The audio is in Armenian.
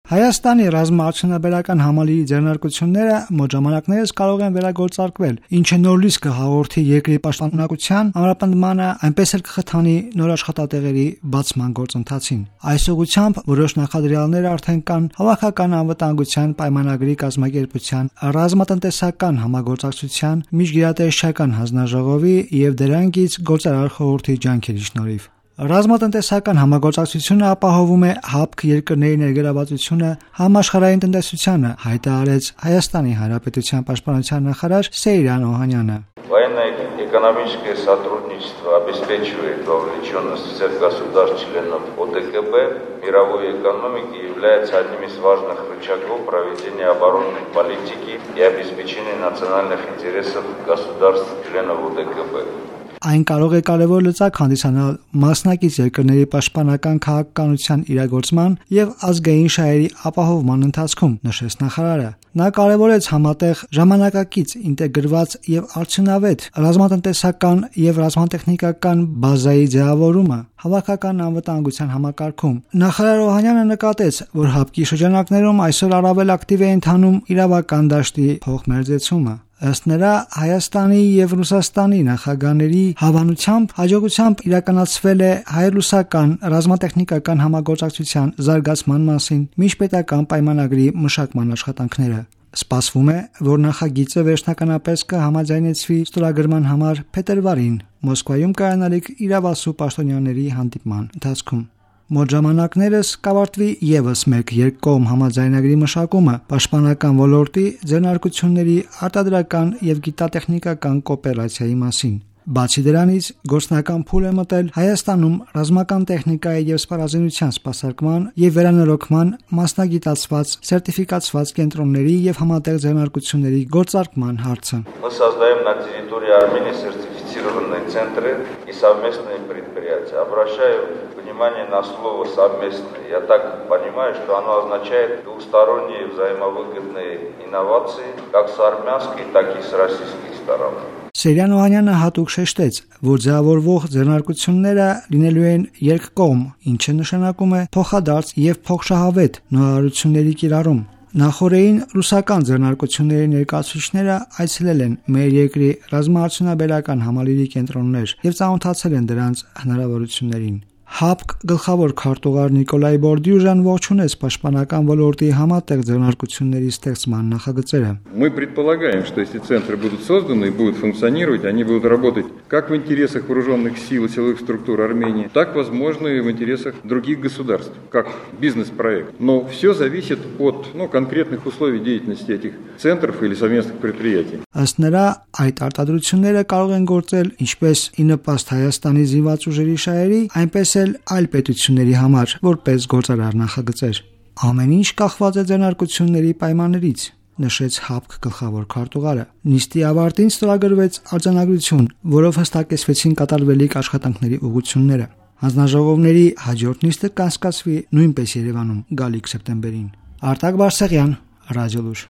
Հայաստանի ռազմաարդյունաբերական համալիրի ձեռնարկությունները մոտ ժամանակներս կարող են վերագործարկվել, ինչը նոր լույս կհաղորդի երկրի պաշտպանության ամրապնդմանը, այնպես էլ կխթանի նոր աշխատատեղերի բացման գործընթացին։ Այս ուղղությամբ որոշ նախադրյալներ արդեն կան Հավաքական անվտանգության պայմանագրի կազմակերպության, ռազմատնտեսական համագործակցության, միջգերատեսչական հանձնաժողովի եւ դրանից գործարար խորհրդի ջանքերի շնորհիվ։ Ռազմատնտեսական համագործակցությունը ապահովում է ՀԱՊԿ երկրների ներգրավվածությունը համաշխարհային տնտեսությանը, հայտարարեց Հայաստանի Հանրապետության պաշտպանության նախարար Սեյրան Օհանյանը։ Военно-экономическое сотрудничество обеспечивает вовлеченность всех государств-членов ОДКБ в мировой экономике и является одним из важных рычагов проведения оборонной политики и обеспечения национальных интересов государств-членов ОДКБ. Այն կարող է կարևոր լծակ հանդիսանալ մասնակից երկրների պաշտպանական քաղաքականության իրագործման եւ ազգային շահերի ապահովման ընթացքում, նշեց նախարարը։ Նա կարևորեց համատեղ ժամանակակից ինտեգրված եւ արդյունավետ ռազմատնտեսական եւ ռազմատեխնիկական բազայի ձևավորումը հավաքական անվտանգության համակարգում։ Նախարար Օհանյանը նկատեց, որ ՀԱՊԿ-ի շրջանակներում այսօր առավել ակտիվ է ընթանում իրավական դաշտի փոխմերձեցումը։ Ըստ նրա, Հայաստանի եւ Ռուսաստանի նախագահների հավանությամբ հաջողությամբ իրականացվել է հայ-ռուսական ռազմատեխնիկական համագործակցության զարգացման մասին միջպետական պայմանագրի մշակման աշխատանքները։ Սպասվում է, որ նախագիծը վերջնականապես կհամաձայնեցվի ստորագրման համար փետրվարին Մոսկվայում կայանալիք իրավասու պաշտոնյաների հանդիպման ընթացքում։ Մոտ ժամանակներս կավարտվի եւս մեկ երկկողմ համաձայնագրի մշակումը պաշտպանական ոլորտի ձեռնարկությունների արտադրական եւ գիտատեխնիկական կոոպերացիայի մասին։ Բացի դրանից, գործնական փուլ է մտել Հայաստանում ռազմական տեխնիկայի եւ սպառազինության սպասարկման եւ վերանորոգման մասնագիտացված սերտիֆիկացված կենտրոնների եւ համատեղ ձեռնարկությունների գործարկման հարցը։ Мы создаем на территории Армении сертифицированные центры и совместные предприятия. Обращаю внимание на слово «совместные». Я так понимаю, что оно означает двусторонние взаимовыгодные инновации как с армянской, так и с российской стороны. Սեյրան Օհանյանը հատուկ շեշտեց, որ ձևավորվող ձեռնարկությունները լինելու են երկկողմ, ինչը նշանակում է փոխադարձ եւ փոխշահավետ նորարարությունների կիրառում։ Նախորդին ռուսական ձեռնարկությունների ներկայացուցիչները այցելել են մեր երկրի ռազմաարդյունաբերական համալիրի կենտրոններ եւ ծանոթացել են դրանց հնարավորություններին։ ՀԱՊԿ գլխավոր քարտուղար Նիկոլայ Բորդյուժան ողջունեց պաշտպանական ոլորտի համատեղ ձեռնարկությունների ստեղծման նախագծերը։ Мы предполагаем, что если центры будут созданы и будут функционировать, они будут работать как в интересах вооруженных сил и силовых структур Армении, так, возможно, и в интересах других государств, как бизнес-проект. Но все зависит от конкретных условий деятельности этих центров или совместных предприятий. Ըստ նրա, այդ արտադրությունները կարող են գործել ինչպես ի նպաստ Հայաստանի զինված ուժերի շահերի, այնպես էլ այլ պետությունների համար, որպես գործարար նախագծեր։ Ամեն ինչ կախված է ձեռնարկությունների պայմաններից, նշեց ՀԱՊԿ գլխավոր քարտուղարը։ Նիստի ավարտին ստորագրվեց արձանագրություն, որով հստակեցվեցին կատարվելիք աշխատանքների ուղղությունները։ Հանձնաժողովների հաջորդ նիստը կանցկացվի նույնպես Երևանում գալիք սեպտեմբերին։ Արտակ Բարսեղյան, Ռադիոլուր։